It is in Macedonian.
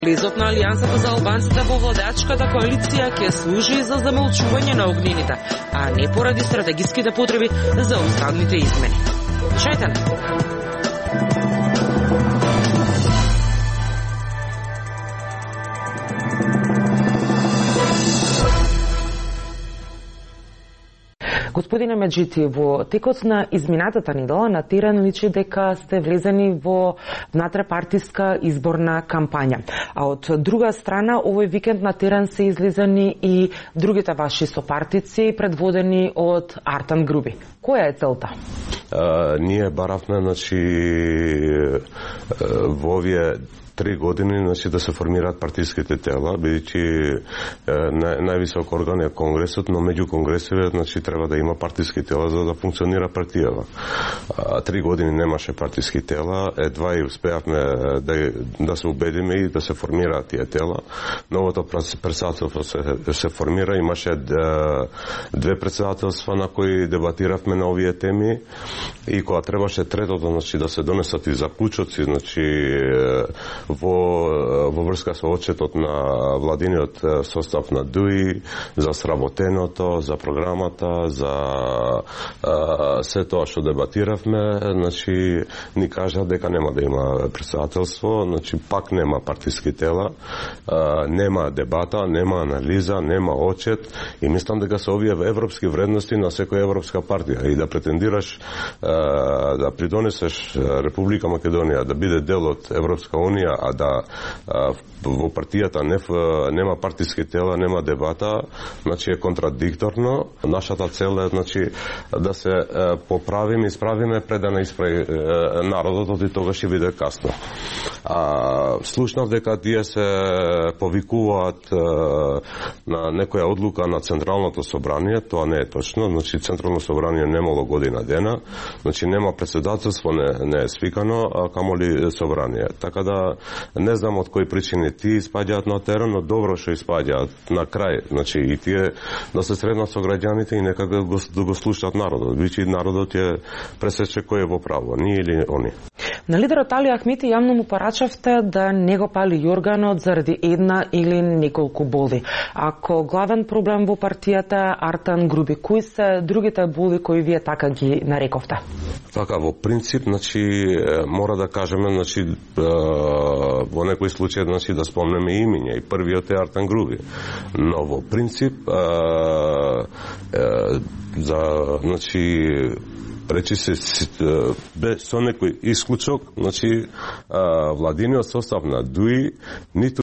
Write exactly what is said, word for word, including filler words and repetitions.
Лизот на Алијансата за албанците во владеачката коалиција ќе служи за замолчување на огнините, а не поради стратегиските потреби за уставните измени. Шајтан! Господине Меджити, во текот на изминатата недела на терен личи дека сте влезени во внатрепартиска изборна кампања. А од друга страна, овој викенд на терен се излезени и другите ваши сопартици, предводени од Артан Груби. Која е целта? А, ние баравме, значи, во овие три години, значи, да се формираат партиските тела, бидејќи нај, највисок орган е Конгресот, но меѓу конгресиве, значи, треба да има партиски тела за да функционира партијава. А, три години немаше партиски тела, едва и успеавме да, да се убедиме и да се формираат тие тела. Новото председателство се, се формира, имаше две председателства на кои дебатиравме на овие теми и кога требаше третото, значи, да се донесат и заклучоци, значи, во, во врска со отчетот на владиниот состав на ДУИ, за сработеното, за програмата, за а, се тоа што дебатиравме, значи, ни кажа дека нема да има председателство, значи, пак нема партиски тела, а, нема дебата, нема анализа, нема отчет и мислам дека се овие европски вредности на секоја европска партија и да претендираш а, да придонесеш Република Македонија да биде дел од Европска унија, а да а, во партијата не, нема партиски тела, нема дебата, значи е контрадикторно. Нашата цел е, значи, да се а, поправиме, исправиме пред да не исправи а, народот, и тогаш ќе биде касно. А, слушнав дека тие се повикуваат а, на некоја одлука на Централното собрание, тоа не е точно, значи Централно собрание немало година дена, значи нема председателство, не, не е свикано, а камоли собрание. Така да не знам од кои причини тие испаѓаат на терен, но добро што испаѓаат на крај. Значи и тие да се среднат со граѓаните и нека го, да го слушаат народот. Бичи народот е пресече кој е во право, ние или они. На лидерот Али Ахмети јавно му порачавте да не го пали јорганот заради една или неколку боли. Ако главен проблем во партијата Артан Груби, кои се другите боли кои вие така ги нарековте? Така, во принцип, значи, мора да кажеме, значи, во некој случај, значи, да спомнеме имиња, и првиот е Артан Груби. Но во принцип, за, значи, речи се без со некој исклучок, значи, владиниот состав на ДУИ ниту